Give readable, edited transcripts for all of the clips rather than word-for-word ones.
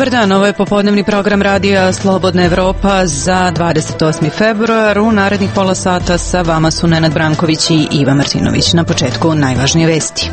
Dobar dan, ovo je popodnevni program radija Slobodna Evropa za 28. februar. U narednih pola sata sa vama su Nenad Branković i Iva Martinović. Na početku najvažnije vesti.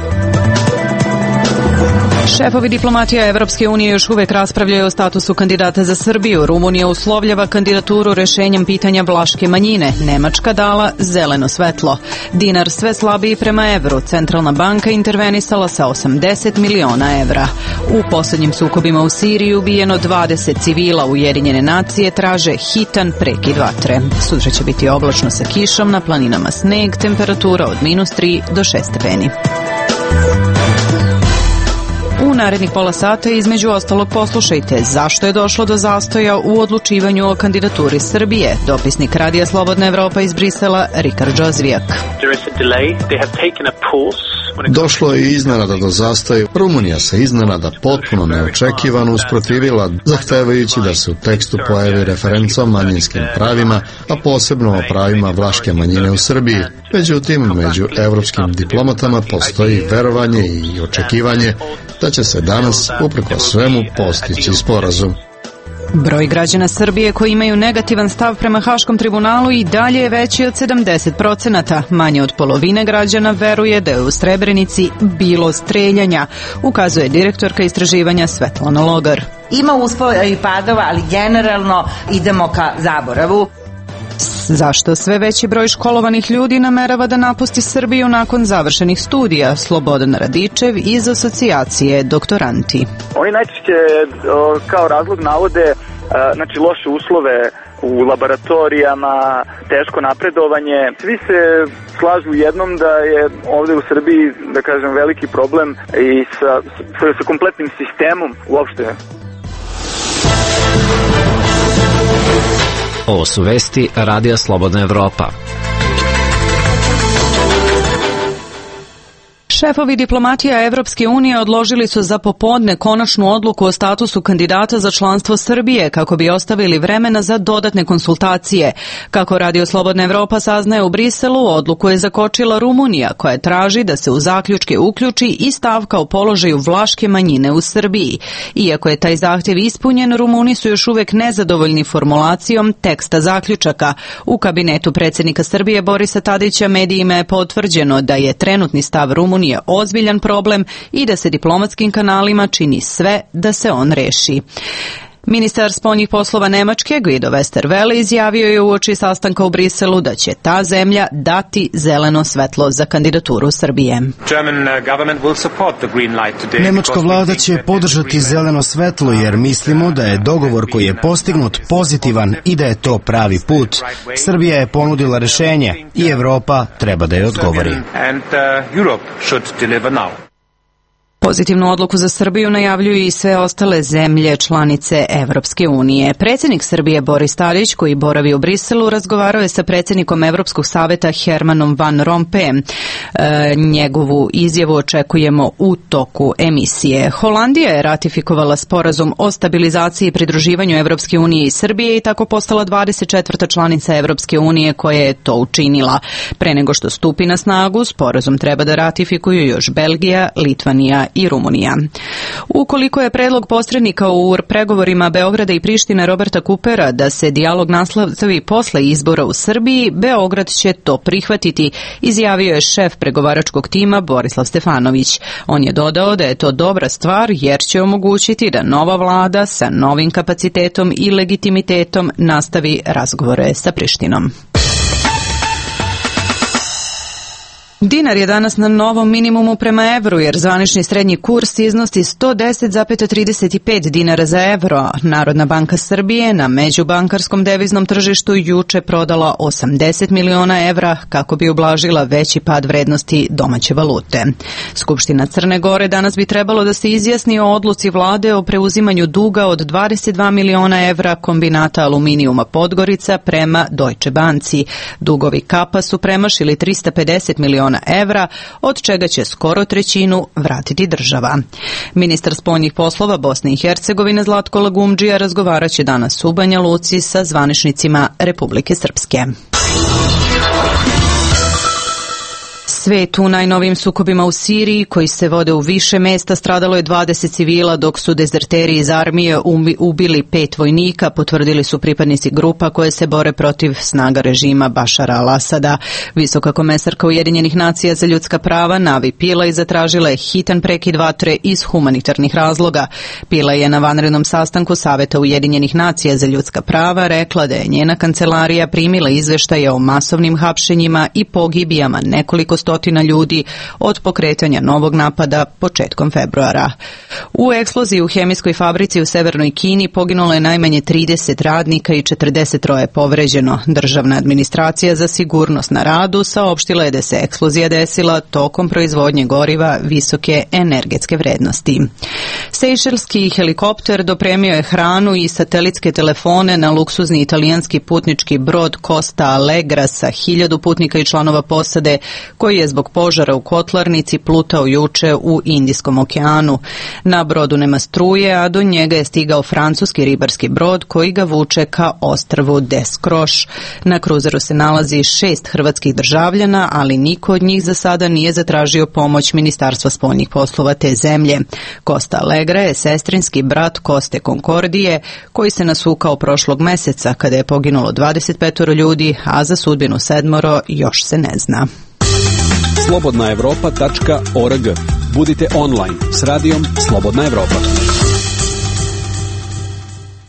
Šefovi diplomatija Evropske unije još uvek raspravljaju o statusu kandidata za Srbiju. Rumunija uslovljava kandidaturu rešenjem pitanja vlaške manjine. Nemačka dala zeleno svetlo. Dinar sve slabiji prema evru. Centralna banka intervenisala sa 80 miliona evra. U poslednjim sukobima u Siriji ubijeno 20 civila. Ujedinjene nacije traže hitan prekid vatre. Sutra će biti oblačno sa kišom, na planinama sneg, temperatura od -3 do 6 stepeni. U narednih pola sata između ostalog poslušajte zašto je došlo do zastoja u odlučivanju o kandidaturi Srbije. Dopisnik Radija Slobodna Evropa iz Brisela, Rikard Džozvijak. Došlo je iznenada do zastoja. Rumunija se iznenada potpuno neočekivano usprotivila, zahtevajući da se u tekstu pojavi referenca o manjinskim pravima, a posebno o pravima vlaške manjine u Srbiji. Međutim, među evropskim diplomatama postoji verovanje i očekivanje da će se danas, uprkos svemu, postići sporazum. Broj građana Srbije koji imaju negativan stav prema Haškom tribunalu i dalje je veći od 70%. Manje od polovine građana veruje da je u Srebrenici bilo streljanja, ukazuje direktorka istraživanja Svetlana Logar. Ima uspona i padova, ali generalno idemo ka zaboravu. Zašto sve veći broj školovanih ljudi namerava da napusti Srbiju nakon završenih studija? Slobodan Radičev iz asocijacije Doktoranti. Oni najčešće kao razlog navode loše uslove u laboratorijama, teško napredovanje. Svi se slažu jednom da je ovde u Srbiji, da kažem, veliki problem i sa kompletnim sistemom uopšte. Ovo su vesti Radija Slobodna Evropa. Šefovi diplomatija Evropske unije odložili su za popodne konačnu odluku o statusu kandidata za članstvo Srbije kako bi ostavili vremena za dodatne konsultacije. Kako Radio Slobodna Evropa saznaje u Briselu, odluku je zakočila Rumunija koja traži da se u zaključke uključi i stavka o položaju vlaške manjine u Srbiji. Iako je taj zahtjev ispunjen, Rumuni su još uvek nezadovoljni formulacijom teksta zaključaka. U kabinetu predsjednika Srbije Borisa Tadića medijima je potvrđeno da je trenutni stav Rumunije ozbiljan problem i da se diplomatskim kanalima čini sve da se on reši. Ministar spoljnih poslova Nemačke Guido Westerwelle izjavio je uoči sastanka u Briselu da će ta zemlja dati zeleno svetlo za kandidaturu Srbije. Nemačka vlada će podržati zeleno svetlo jer mislimo da je dogovor koji je postignut pozitivan i da je to pravi put. Srbija je ponudila rešenje i Evropa treba da je odgovori. Pozitivnu odluku za Srbiju najavljuju i sve ostale zemlje članice Evropske unije. Predsjednik Srbije Boris Tadić, koji boravi u Briselu, razgovarao je sa predsjednikom Evropskog saveta Hermanom Van Rompuyem. Njegovu izjavu očekujemo u toku emisije. Holandija je ratifikovala sporazum o stabilizaciji i pridruživanju Evropske unije i Srbije i tako postala 24. članica Evropske unije koja je to učinila. Pre nego što stupi na snagu, sporazum treba da ratifikuju još Belgija, Litvanija i Rumunija. Ukoliko je predlog posrednika u pregovorima Beograda i Prištine Roberta Kupera da se dijalog nastavi posle izbora u Srbiji, Beograd će to prihvatiti, izjavio je šef pregovaračkog tima Borislav Stefanović. On je dodao da je to dobra stvar jer će omogućiti da nova vlada sa novim kapacitetom i legitimitetom nastavi razgovore sa Prištinom. Dinar je danas na novom minimumu prema evru jer zvanični srednji kurs iznosi 110,35 dinara za evro. Narodna banka Srbije na međubankarskom deviznom tržištu juče prodala 80 miliona evra kako bi ublažila veći pad vrednosti domaće valute. Skupština Crne Gore danas bi trebalo da se izjasni o odluci vlade o preuzimanju duga od 22 miliona evra kombinata aluminijuma Podgorica prema Deutsche Banci. Dugovi Kapa su premašili 350 miliona evra, od čega će skoro trećinu vratiti država. Ministar spoljnih poslova Bosne i Hercegovine Zlatko Lagumdžija razgovaraće danas u Banja Luci sa zvaničnicima Republike Srpske. Svet u najnovijim sukobima u Siriji, koji se vode u više mesta, stradalo je 20 civila, dok su dezerteri iz armije ubili 5 vojnika, potvrdili su pripadnici grupa koje se bore protiv snaga režima Bašara al-Asada. Visoka komesarka Ujedinjenih nacija za ljudska prava Navi Pillay zatražila je hitan prekid vatre iz humanitarnih razloga. Pillay je na vanrednom sastanku Saveta Ujedinjenih nacija za ljudska prava rekla da je njena kancelarija primila izveštaje o masovnim hapšenjima i pogibijama nekoliko stotina ljudi od pokretanja novog napada početkom februara. U eksploziji u hemijskoj fabrici u severnoj Kini poginulo je najmanje 30 radnika i 43 je povređeno. Državna administracija za sigurnost na radu saopštila je da se eksplozija desila tokom proizvodnje goriva visoke energetske vrednosti. Sejšelski helikopter dopremio je hranu i satelitske telefone na luksuzni italijanski putnički brod Costa Allegra sa 1000 putnika i članova posade, koji je zbog požara u kotlarnici plutao juče u Indijskom okeanu. Na brodu nema struje, a do njega je stigao francuski ribarski brod koji ga vuče ka ostrvu Des Croix. Na kruzeru se nalazi 6 hrvatskih državljana, ali niko od njih za sada nije zatražio pomoć Ministarstva spoljnih poslova te zemlje. Costa Allegra je sestrinski brat Coste Concordije, koji se nasukao prošlog meseca kada je poginulo 25 ljudi, a za sudbinu 7 još se ne zna. Slobodnaevropa.org. Budite online s radijom Slobodna Evropa.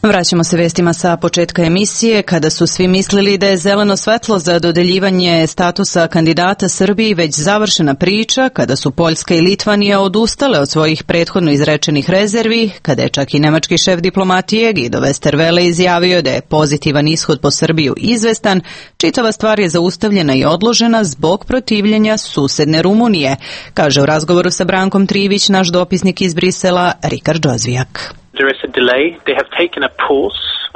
Vraćamo se vestima sa početka emisije. Kada su svi mislili da je zeleno svetlo za dodeljivanje statusa kandidata Srbiji već završena priča, kada su Poljska i Litvanija odustale od svojih prethodno izrečenih rezervi, kada je čak i nemački šef diplomatije Guido Westerwelle izjavio da je pozitivan ishod po Srbiju izvestan, čitava stvar je zaustavljena i odložena zbog protivljenja susedne Rumunije, kaže u razgovoru sa Brankom Trivić naš dopisnik iz Brisela Rikard Džozvijak.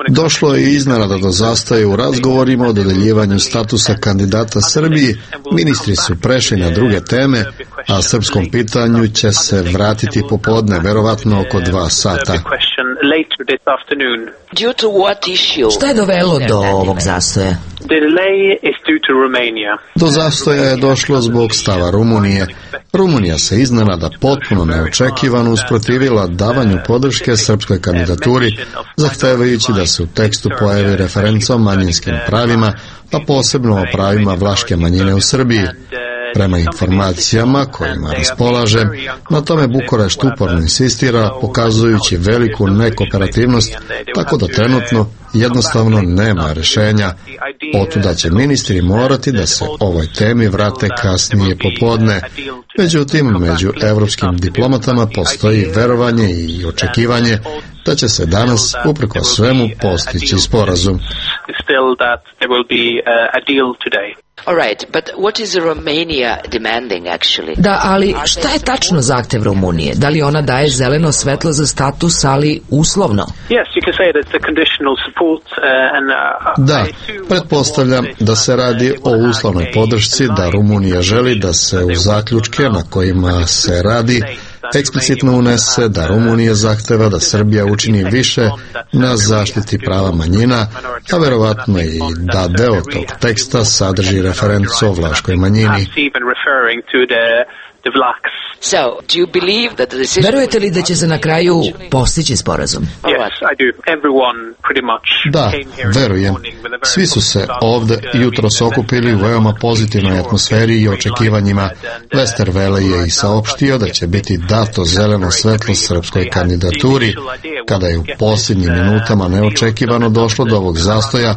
Došlo je iznenada do zastoja u razgovorima o dodeljivanju statusa kandidata Srbiji. Ministri su prešli na druge teme, a srpskom pitanju će se vratiti popodne, verovatno oko 2 sata. Šta je dovelo do ovog zastoja? Do zastoja je došlo zbog stava Rumunije. Rumunija se iznenada potpuno neočekivano usprotivila davanju podrške srpskoj kandidaturi, zahtevajući da se u tekstu pojavi referenca o manjinskim pravima, a posebno o pravima vlaške manjine u Srbiji. Prema informacijama kojima raspolaže, na tome Bukurešt uporno insistira, pokazujući veliku nekooperativnost, tako da trenutno jednostavno nema rešenja. Otuda će ministri morati da se ovoj temi vrate kasnije popodne. Međutim, među evropskim diplomatama postoji verovanje i očekivanje da će se danas, uprkos svemu, postići sporazum. Da, ali šta je tačno zahtev Rumunije? Da li ona daje zeleno svetlo za status, ali uslovno? Da, pretpostavljam da se radi o uslovnoj podršci, da Rumunija želi da se u zaključke na kojima se radi eksplicitno unese da Rumunija zahteva da Srbija učini više na zaštiti prava manjina, a verovatno i da deo tog teksta sadrži referencu o vlaškoj manjini. Verujete li da će se na kraju postići sporazum? Da, verujem. Svi su se ovde jutros okupili u veoma pozitivnoj atmosferi i očekivanjima. Westerwelle je i saopštio da će biti dato zeleno svetlo srpskoj kandidaturi. Kada je u posljednjim minutama neočekivano došlo do ovog zastoja,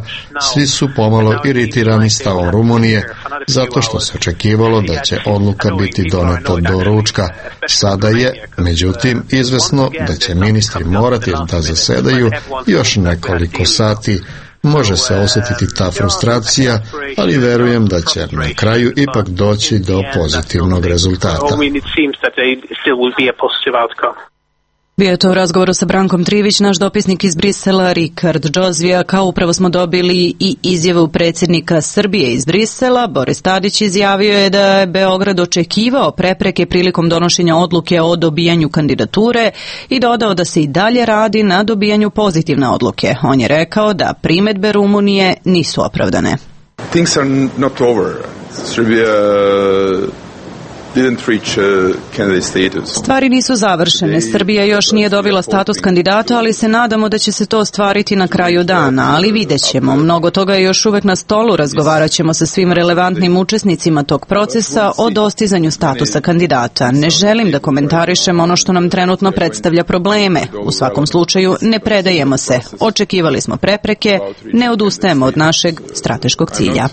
svi su pomalo iritirani stavom Rumunije, zato što se očekivalo da će odluka biti doneta do ručka. Sada je, međutim, izvesno da će ministri morati da zasedaju još nekoliko sati. Može se osjetiti ta frustracija, ali verujem da će na kraju ipak doći do pozitivnog rezultata. Bio je to u razgovoru sa Brankom Trivić, naš dopisnik iz Brisela, Rikard Džozvijak, a upravo smo dobili i izjavu predsjednika Srbije iz Brisela. Boris Tadić izjavio je da je Beograd očekivao prepreke prilikom donošenja odluke o dobijanju kandidature i dodao da se i dalje radi na dobijanju pozitivne odluke. On je rekao da primedbe Rumunije nisu opravdane. Things are not over. Serbia Stvari nisu završene. Srbija još nije dobila status kandidata, ali se nadamo da će se to ostvariti na kraju dana, ali vidjet ćemo. Mnogo toga je još uvek na stolu, razgovarat ćemo sa svim relevantnim učesnicima tog procesa o dostizanju statusa kandidata. Ne želim da komentarišem ono što nam trenutno predstavlja probleme. U svakom slučaju ne predajemo se. Očekivali smo prepreke, ne odustajemo od našeg strateškog cilja.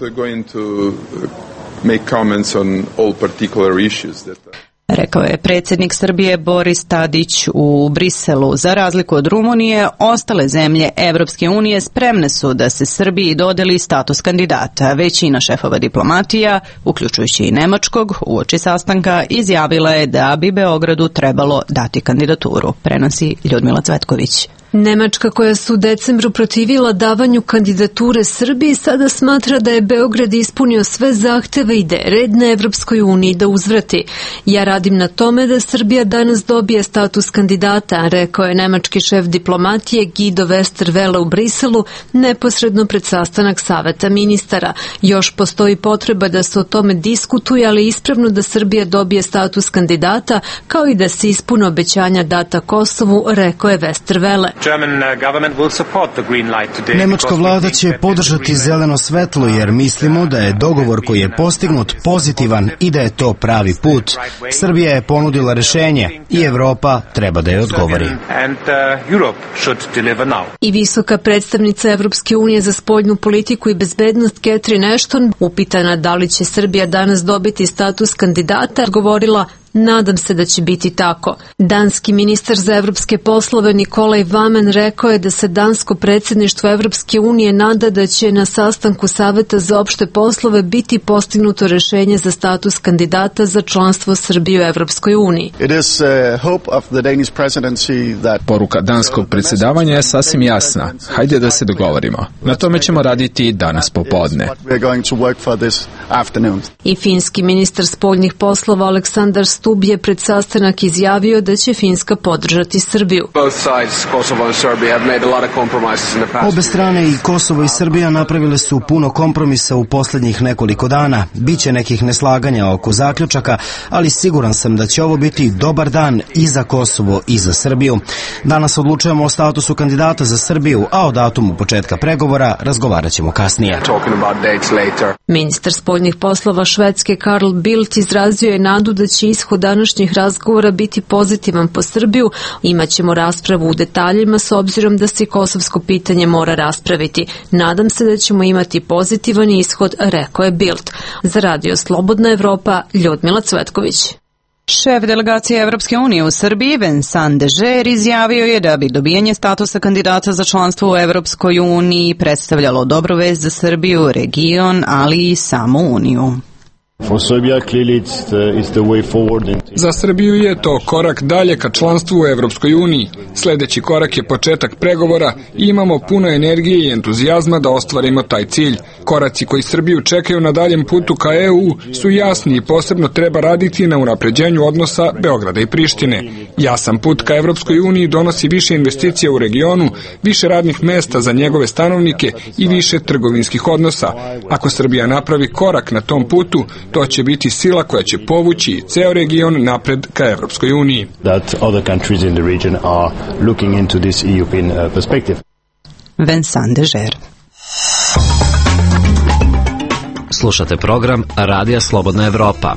Rekao je predsjednik Srbije Boris Tadić u Briselu. Za razliku od Rumunije, ostale zemlje Evropske unije spremne su da se Srbiji dodeli status kandidata. Većina šefova diplomatija, uključujući i nemačkog, uoči sastanka izjavila je da bi Beogradu trebalo dati kandidaturu. Prenosi Ljudmila Cvetković. Nemačka, koja se u decembru protivila davanju kandidature Srbiji, sada smatra da je Beograd ispunio sve zahteve i da je red na Evropskoj uniji da uzvrati. Ja radim na tome da Srbija danas dobije status kandidata, rekao je nemački šef diplomatije Guido Westerwelle u Briselu neposredno pred sastanak Saveta ministara. Još postoji potreba da se o tome diskutuje, ali ispravno da Srbija dobije status kandidata, kao i da se ispune obećanja data Kosovu, rekao je Westerwelle. Nemačka vlada će podržati zeleno svetlo jer mislimo da je dogovor koji je postignut pozitivan i da je to pravi put. Srbija je ponudila rešenje i Evropa treba da je odgovori. I visoka predstavnica Evropske unije za spoljnu politiku i bezbednost Catherine Ashton, upitana da li će Srbija danas dobiti status kandidata, odgovorila: nadam se da će biti tako. Danski ministar za evropske poslove Nikolaj Vamen rekao je da se dansko predsjedništvo Evropske unije nada da će na sastanku Saveta za opšte poslove biti postignuto rešenje za status kandidata za članstvo Srbije u Evropskoj uniji. Poruka danskog predsjedavanja je sasvim jasna. Hajde da se dogovorimo. Na tome ćemo raditi danas popodne. I finski ministar spoljnih poslova Aleksandar Stubb je pred sastanak izjavio da će Finska podržati Srbiju. Obe strane, i Kosovo i Srbija, napravile su puno kompromisa u posljednjih nekoliko dana. Biće nekih neslaganja oko zaključaka, ali siguran sam da će ovo biti dobar dan i za Kosovo i za Srbiju. Danas odlučujemo o statusu kandidata za Srbiju, a o datumu početka pregovora razgovarat ćemo kasnije. Ministar spoljnih poslova Švedske Carl Bildt izrazio je nadu da će ishod današnjih razgovora biti pozitivan po Srbiju. Imaćemo raspravu u detaljima s obzirom da se kosovsko pitanje mora raspraviti. Nadam se da ćemo imati pozitivan ishod, rekao je Bildt. Za Radio Slobodna Evropa, Ljudmila Cvetković. Šef delegacije Evropske unije u Srbiji, Vincent Dežer, izjavio je da bi dobijanje statusa kandidata za članstvo u Evropskoj uniji predstavljalo dobru vest za Srbiju, region, ali i samu Uniju. Za Srbiju je to korak dalje ka članstvu u Evropskoj uniji. Sljedeći korak je početak pregovora i imamo puno energije i entuzijazma da ostvarimo taj cilj. Koraci koji Srbiju čekaju na daljem putu ka EU su jasni i posebno treba raditi na unapređenju odnosa Beograda i Prištine. Jasan put ka Evropskoj uniji donosi više investicija u regionu, više radnih mesta za njegove stanovnike i više trgovinskih odnosa. Ako Srbija napravi korak na tom putu, to će biti sila koja će povući ceo region napred ka Evropskoj uniji. Vincent Dežer. Slušate program Radija Slobodna Evropa.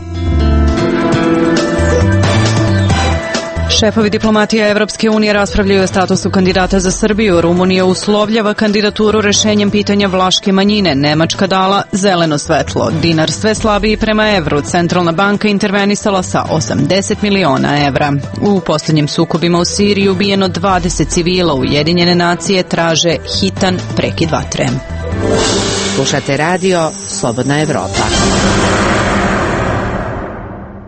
Šefovi diplomatija Evropske unije raspravljaju o statusu kandidata za Srbiju. Rumunija uslovljava kandidaturu rešenjem pitanja vlaške manjine. Nemačka dala zeleno svetlo. Dinar sve slabiji prema evru. Centralna banka intervenisala sa 80 miliona evra. U posljednjim sukobima u Siriji ubijeno 20 civila. Ujedinjene nacije traže hitan prekid vatre. Slušate radio Slobodna Evropa.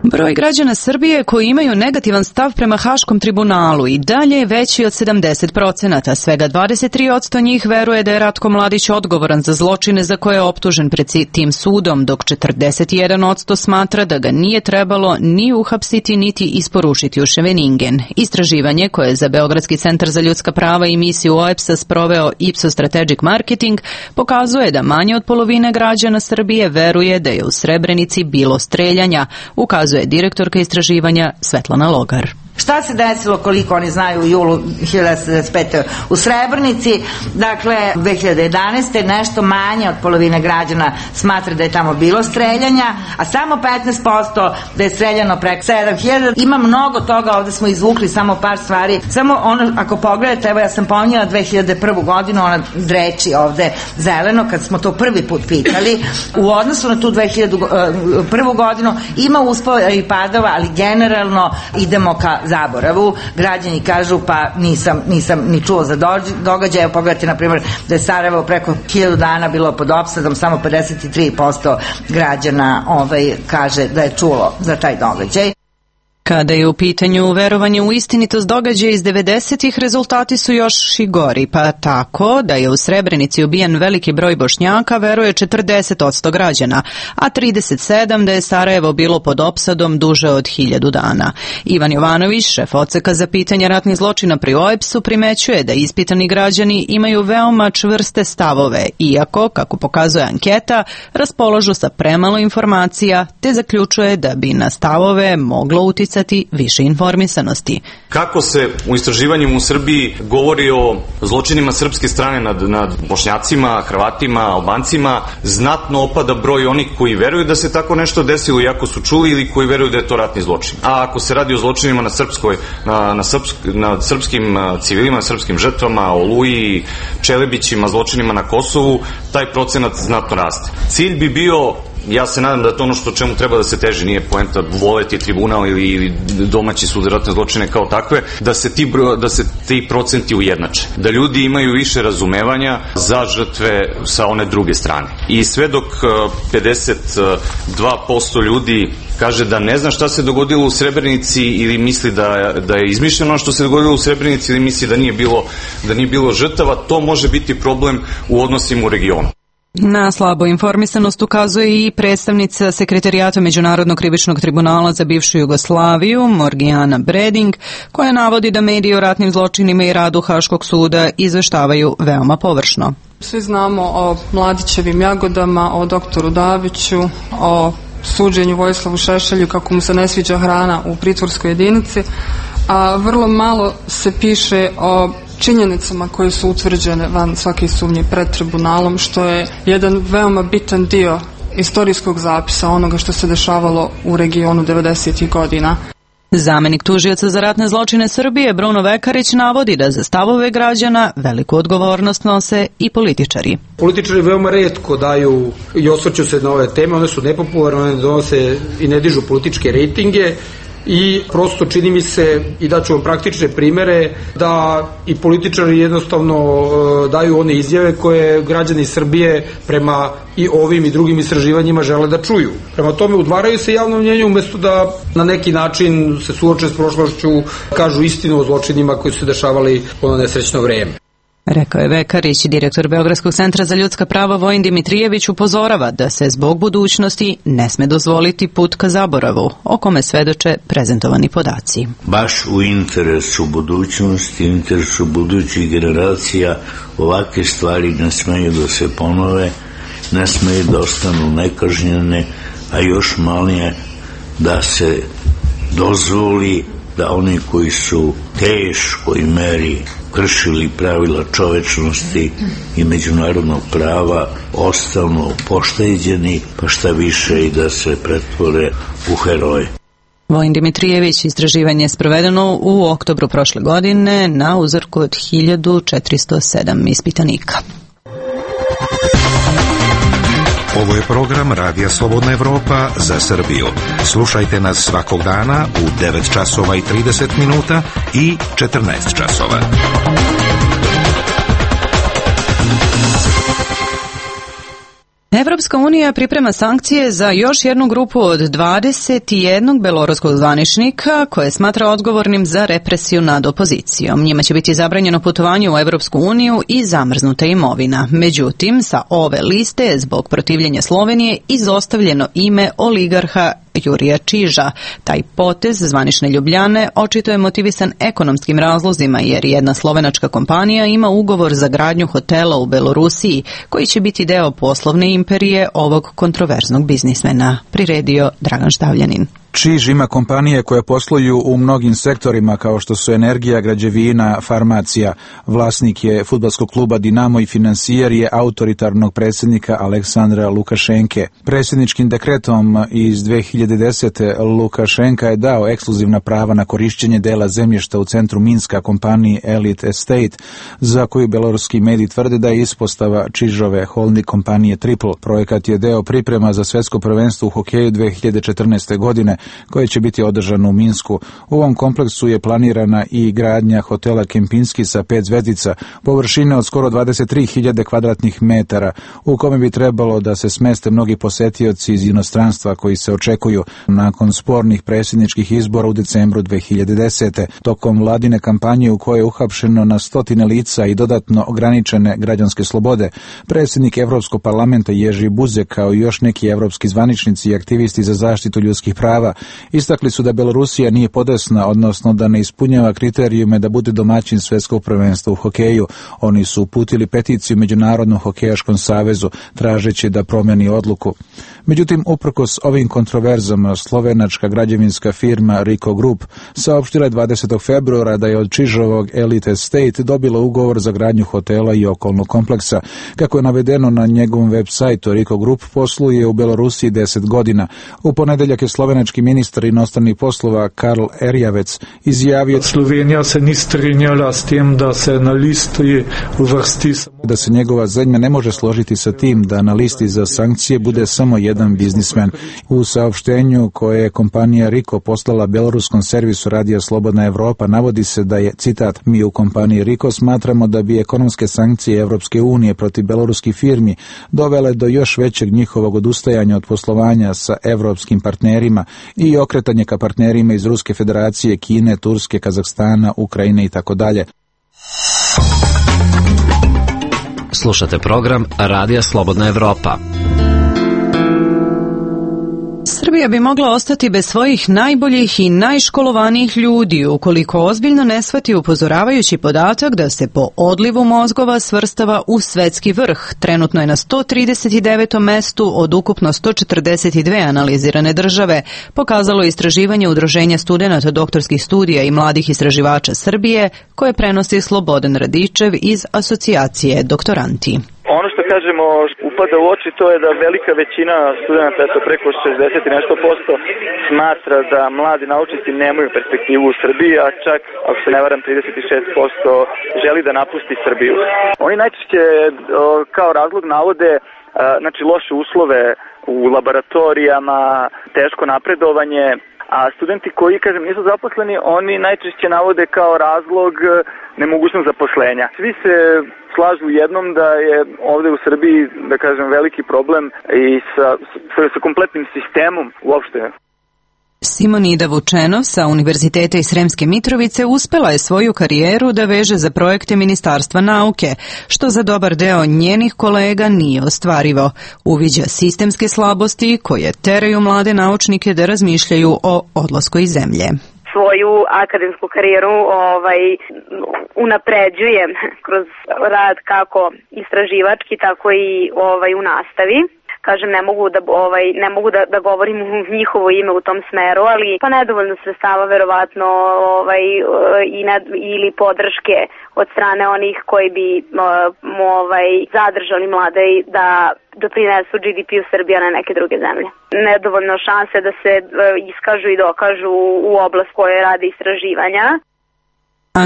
Broj građana Srbije koji imaju negativan stav prema Haškom tribunalu i dalje je veći od 70%. Svega 23% njih veruje da je Ratko Mladić odgovoran za zločine za koje je optužen pred tim sudom, dok 41% smatra da ga nije trebalo ni uhapsiti niti isporučiti u Scheveningen. Istraživanje koje je za Beogradski centar za ljudska prava i misiju OEBS-a sproveo Ipsos Strategic Marketing pokazuje da manje od polovine građana Srbije veruje da je u Srebrenici bilo streljanja, ukazuje ukazuje direktorka istraživanja Svetlana Logar. Šta se desilo, koliko oni znaju, u julu 1995. u Srebrnici? Dakle, 2011. nešto manje od polovine građana smatra da je tamo bilo streljanja, a samo 15% da je streljano preko 7000. Ima mnogo toga, ovde smo izvukli samo par stvari. Samo ono, ako pogledate, evo ja sam pominjala 2001. godinu, ona dreči ovde zeleno, kad smo to prvi put pitali, u odnosu na tu 2001. godinu ima uspona i padova, ali generalno idemo ka zaboravu. Građani kažu pa nisam ni čuo za događaje. Pogledajte, na primjer, da je Sarajevo preko 1000 dana bilo pod opsadom, samo 53% građana kaže da je čulo za taj događaj. Kada je u pitanju verovanje u istinitost događaja iz 90-ih, rezultati su još i gori, pa tako da je u Srebrenici ubijen veliki broj Bošnjaka veruje 40% građana, a 37% da je Sarajevo bilo pod opsadom duže od 1000 dana. Ivan Jovanović, šef odseka za pitanje ratnih zločina pri OEBS-u, primećuje da ispitani građani imaju veoma čvrste stavove, iako, kako pokazuje anketa, raspolažu sa premalo informacija, te zaključuje da bi na stavove moglo uticati više informisanosti. Kako se u istraživanjima u Srbiji govori o zločinima srpske strane nad Bošnjacima, Hrvatima, Albancima, znatno opada broj onih koji veruju da se tako nešto desilo iako su čuli ili koji veruju da je to ratni zločin. A ako se radi o zločinima nad srpskim civilima, srpskim žrtvama, Oluji, Čelebićima, zločinima na Kosovu, taj procenat znatno raste. Cilj bi bio, ja se nadam da je to ono čemu treba da se teži, nije poenta voleti tribunal ili domaći sud za ratne zločine kao takve, da se ti procenti ujednače. Da ljudi imaju više razumevanja za žrtve sa one druge strane. I sve dok 52% ljudi kaže da ne zna šta se dogodilo u Srebrenici ili misli da je izmišljeno što se dogodilo u Srebrenici ili misli da nije bilo žrtava, to može biti problem u odnosima u regionu. Na slabu informisanost ukazuje i predstavnica Sekretarijata Međunarodnog krivičnog tribunala za bivšu Jugoslaviju, Morgijana Breding, koja navodi da mediji o ratnim zločinima i radu Haškog suda izveštavaju veoma površno. Svi znamo o Mladićevim jagodama, o doktoru Daviću, o suđenju Vojislavu Šešelju kako mu se ne sviđa hrana u pritvorskoj jedinici, a vrlo malo se piše o činjenicama koje su utvrđene van svake sumnje pred tribunalom, što je jedan veoma bitan dio istorijskog zapisa onoga što se dešavalo u regionu 90. godina. Zamenik tužioca za ratne zločine Srbije Bruno Vekarić navodi da za stavove građana veliku odgovornost nose i političari. Političari veoma retko daju i osvrću se na ove teme, one su nepopularne, one donose i ne dižu političke rejtinge i prosto čini mi se, i daću vam praktične primere, da i političari jednostavno daju one izjave koje građani Srbije prema i ovim i drugim istraživanjima žele da čuju. Prema tome udvaraju se javnom mnjenju umesto da na neki način se suoče s prošlošću, kažu istinu o zločinima koji su se dešavali u ono nesrećno vreme. Rekao je Vekarić. Direktor Beogradskog centra za ljudska prava Vojin Dimitrijević upozorava da se zbog budućnosti ne sme dozvoliti put ka zaboravu, o kome svedoče prezentovani podaci. Baš u interesu budućnosti, u interesu budućih generacija ovakve stvari ne smeju da se ponove, ne smeju da ostanu nekažnjene, a još manje da se dozvoli da oni koji su teškoj meri kršili pravila čovečnosti i međunarodnog prava ostanu pošteđeni, pa šta više i da se pretvore u heroje. Vojin Dimitrijević, istraživanje je sprovedeno u oktobru prošle godine na uzorku od 1407 ispitanika. Ovo je program Radija Slobodna Evropa za Srbiju. Slušajte nas svakog dana u 9 časova i 30 minuta i 14 časova. Evropska unija priprema sankcije za još jednu grupu od 21 beloruskog zvaničnika koje smatra odgovornim za represiju nad opozicijom. Njima će biti zabranjeno putovanje u Evropsku uniju i zamrznuta imovina. Međutim, sa ove liste je zbog protivljenja Slovenije izostavljeno ime oligarha Jurija Čiža. Taj potez zvanične Ljubljane očito je motivisan ekonomskim razlozima jer jedna slovenačka kompanija ima ugovor za gradnju hotela u Belorusiji koji će biti deo poslovne imperije ovog kontroverznog biznismena, priredio Dragan Štavljanin. Čiž ima kompanije koje posluju u mnogim sektorima kao što su energija, građevina, farmacija. Vlasnik je fudbalskog kluba Dinamo i finansijer je autoritarnog predsjednika Aleksandra Lukašenke. Predsjedničkim dekretom iz 2010. Lukašenka je dao ekskluzivna prava na korišćenje dela zemljišta u centru Minska kompaniji Elite Estate, za koju beloruski mediji tvrde da je ispostava Čižove holding kompanije Triple. Projekat je deo priprema za svjetsko prvenstvo u hokeju 2014. godine, koje će biti održano u Minsku. U ovom kompleksu je planirana i gradnja hotela Kempinski sa 5 zvezdica, površine od skoro 23.000 kvadratnih metara, u kome bi trebalo da se smeste mnogi posetioci iz inostranstva koji se očekuju nakon spornih predsjedničkih izbora u decembru 2010. Tokom vladine kampanje u kojoj je uhapšeno na stotine lica i dodatno ograničene građanske slobode, predsjednik Evropskog parlamenta Jerzy Buzek kao i još neki evropski zvaničnici i aktivisti za zaštitu ljudskih prava istakli su da Belorusija nije podesna, odnosno da ne ispunjava kriterijume da bude domaćin svjetskog prvenstva u hokeju. Oni su uputili peticiju Međunarodnom hokejaškom savezu tražeći da promeni odluku. Međutim, uprkos ovim kontroverzama, slovenačka građevinska firma Rico Group saopštila je 20. februara da je od Čižovog Elite Estate dobila ugovor za gradnju hotela i okolnog kompleksa. Kako je navedeno na njegovom web sajtu, Rico Group posluje u Belorusiji 10 godina. U ponedeljak je slovenački ministar inostranih poslova Karl Erjavec izjavio Slovenija se ni strinjala s tim da se na listi uvrsti da se njegova zemlja ne može složiti sa tim da na listi za sankcije bude samo jedan biznismen. U saopštenju koje je kompanija Rico poslala beloruskom servisu Radija Slobodna Evropa navodi se da je, citat, mi u kompaniji Rico smatramo da bi ekonomske sankcije Evropske unije protiv beloruskih firmi dovele do još većeg njihovog odustajanja od poslovanja sa evropskim partnerima i okretanje ka partnerima iz Ruske federacije, Kine, Turske, Kazahstana, Ukrajine i tako dalje. Slušate program Radija Slobodna Evropa. Srbija bi mogla ostati bez svojih najboljih i najškolovanijih ljudi ukoliko ozbiljno ne shvati upozoravajući podatak da se po odlivu mozgova svrstava u svetski vrh. Trenutno je na 139. mestu od ukupno 142 analizirane države, pokazalo je istraživanje Udruženja studenata doktorskih studija i mladih istraživača Srbije, koje prenosi Slobodan Radičev iz asocijacije Doktoranti. Ono što kažemo upada u oči, to je da velika većina studenta, eto preko 60 i nešto posto, smatra da mladi naučnici nemaju perspektivu u Srbiji, a čak, ako se ne varam, 36% želi da napusti Srbiju. Oni najčešće kao razlog navode znači loše uslove u laboratorijama, teško napredovanje, a studenti koji, kažem, nisu zaposleni, oni najčešće navode kao razlog nemogućnost zaposlenja. Svi se slažu u jednom da je ovde u Srbiji, da kažem, veliki problem i sa kompletnim sistemom uopšte. Simonida Vučenov sa Univerziteta iz Sremske Mitrovice uspela je svoju karijeru da veže za projekte Ministarstva nauke, što za dobar deo njenih kolega nije ostvarivo. Uviđa sistemske slabosti koje teraju mlade naučnike da razmišljaju o odlasku iz zemlje. Svoju akademsku karijeru unapređujem kroz rad kako istraživački, tako i u nastavi. Kažem, ne mogu da govorim u njihovo ime u tom smeru, ali pa nedovoljno sredstava verovatno ili podrške od strane onih koji bi zadržali mlade da doprinesu GDP-u Srbije na neke druge zemlje. Nedovoljno šanse da se iskažu i dokažu u oblast koje rade istraživanja.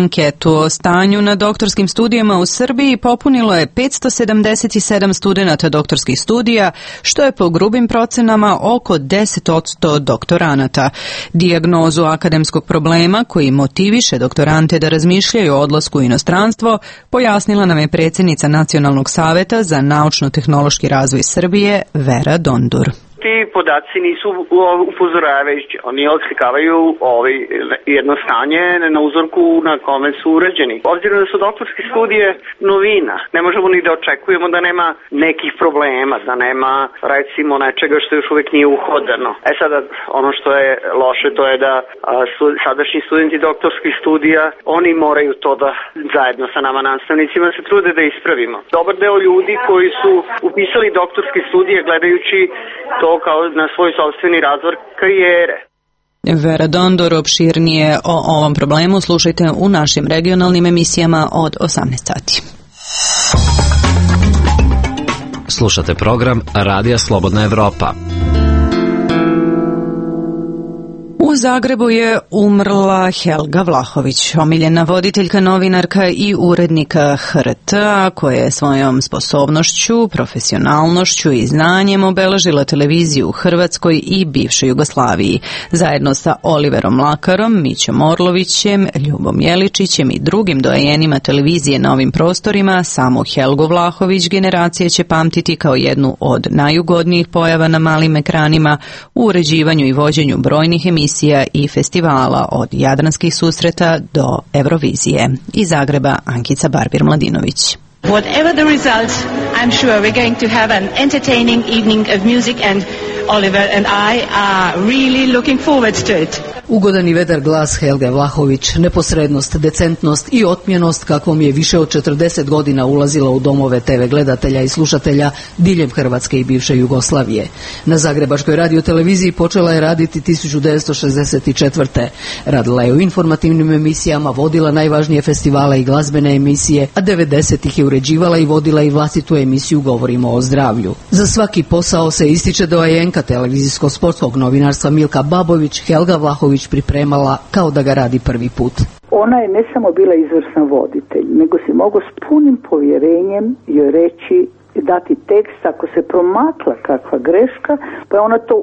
Anketu o stanju na doktorskim studijama u Srbiji popunilo je 577 studenata doktorskih studija, što je po grubim procenama oko 10% doktoranata. Dijagnozu akademskog problema koji motiviše doktorante da razmišljaju o odlasku u inostranstvo pojasnila nam je predsjednica Nacionalnog saveta za naučno-tehnološki razvoj Srbije Vera Dondur. Ti podaci nisu upozoravajući, oni oslikavaju jedno stanje na uzorku na kome su urađeni. Obzirom da su doktorske studije novina, ne možemo ni da očekujemo da nema nekih problema, da nema recimo nečega što još uvijek nije uhodano. Sada ono što je loše to je da sadašnji studenti doktorskih studija, oni moraju to da zajedno sa nama nastavnicima se trude da ispravimo. Dobar deo ljudi koji su upisali doktorske studije gledajući to kao na svoj sopstveni razvoj karijere. Vera Dondor opširnije o ovom problemu slušajte u našim regionalnim emisijama od 18 sati. Slušate program Radija Slobodna Evropa. U Zagrebu je umrla Helga Vlahović, omiljena voditeljka, novinarka i urednika HRT-a, koja je svojom sposobnošću, profesionalnošću i znanjem obeležila televiziju u Hrvatskoj i bivšoj Jugoslaviji. Zajedno sa Oliverom Mlakarom, Mićom Orlovićem, Ljubom Jeličićem i drugim doajenima televizije na ovim prostorima, samu Helgu Vlahović generacije će pamtiti kao jednu od najugodnijih pojava na malim ekranima u uređivanju i vođenju brojnih emisija i festivala od Jadranskih susreta do Eurovizije. Iz Zagreba Ankica Barbir-Mladinović. Whatever the results, I'm sure we're going to have an entertaining evening of music and Oliver and I are really looking forward to it. Ugodan i vedar glas Helge Vlahović, neposrednost, decentnost i otmjenost kakvom je više od 40 godina ulazila u domove TV gledatelja i slušatelja diljem Hrvatske i bivše Jugoslavije. Na Zagrebačkoj radioteleviziji počela je raditi 1964. Radila je u informativnim emisijama, vodila najvažnije festivale i glazbene emisije, a 90-ih je uređivala i vodila i vlastitu emisiju Govorimo o zdravlju. Za svaki posao se ističe doajenka televizijsko-sportskog novinarstva Milka Babović, Helga Vlahović pripremala kao da ga radi prvi put. Ona je ne samo bila izvrsna voditelj, nego si mogao s punim povjerenjem joj reći, dati tekst, ako se promakla kakva greška, pa je ona to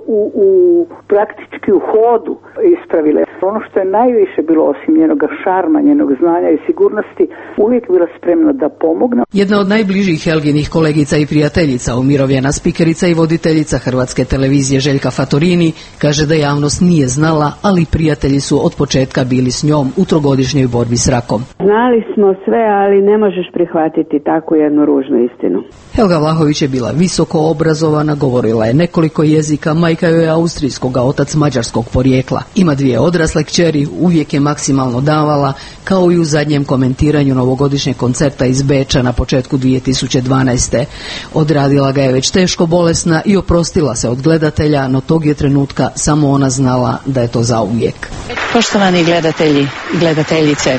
praktički u hodu ispravila. Ono što je najviše bilo osim njenog šarma, njenog znanja i sigurnosti, uvijek bila spremna da pomogne. Jedna od najbližih Helginih kolegica i prijateljica, umirovljena spikerica i voditeljica Hrvatske televizije Željka Fatorini, kaže da javnost nije znala, ali prijatelji su od početka bili s njom u trogodišnjoj borbi s rakom. Znali smo sve, ali ne možeš prihvatiti takvu jednu ružnu istinu. Helga Vlahović je bila visoko obrazovana, govorila je nekoliko jezika, majka joj je austrijskog, a otac mađarskog porijekla. Ima 2 odrasle kćeri, uvijek je maksimalno davala, kao i u zadnjem komentiranju novogodišnjeg koncerta iz Beča na početku 2012. Odradila ga je već teško bolesna i oprostila se od gledatelja, no tog je trenutka samo ona znala da je to zauvijek. Poštovani gledatelji i gledateljice,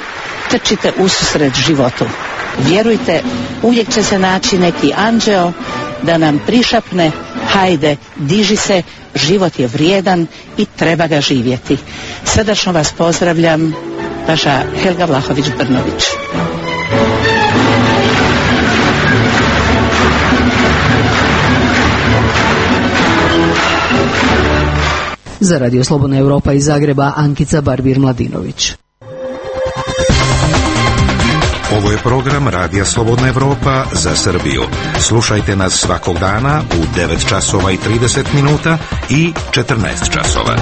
trčite ususret životu. Vjerujte, uvijek će se naći neki anđeo da nam prišapne: hajde, diži se, život je vrijedan i treba ga živjeti. Srdačno vas pozdravljam, vaša Helga Vlahović-Brnović. Za Radio Slobodna Evropa iz Zagreba, Ankica Barbir-Mladinović. Ovo je program Radija Slobodna Evropa za Srbiju. Slušajte nas svakog dana u 9 časova i 30 minuta i 14 časova.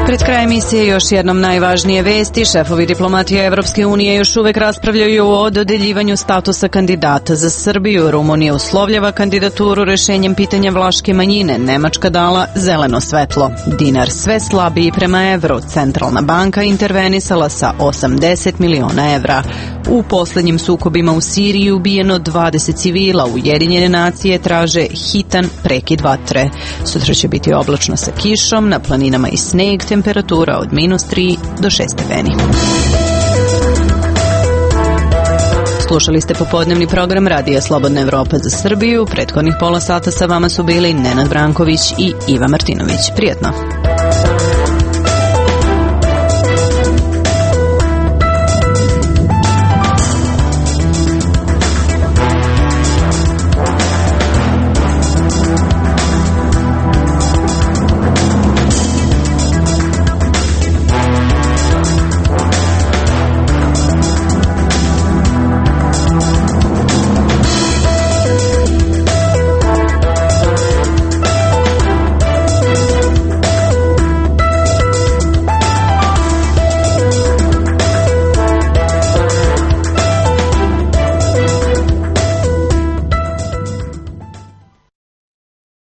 Pred krajem emisije još jednom najvažnije vesti. Šefovi diplomatije Evropske unije još uvek raspravljaju o dodeljivanju statusa kandidata za Srbiju. Rumunija uslovljava kandidaturu rešenjem pitanja vlaške manjine. Nemačka dala zeleno svetlo. Dinar sve slabiji prema evru. Centralna banka intervenisala sa 80 miliona evra. U poslednjim sukobima u Siriji ubijeno 20 civila. Ujedinjene nacije traže hitan prekid vatre. Sutra će biti oblačno sa kišom, na planinama i sneg, temperatura od -3 do 6 stepeni. Slušali ste popodnevni program Radija Slobodna Evropa za Srbiju. Prethodnih pola sata sa vama su bili Nenad Branković i Iva Martinović. Prijatno.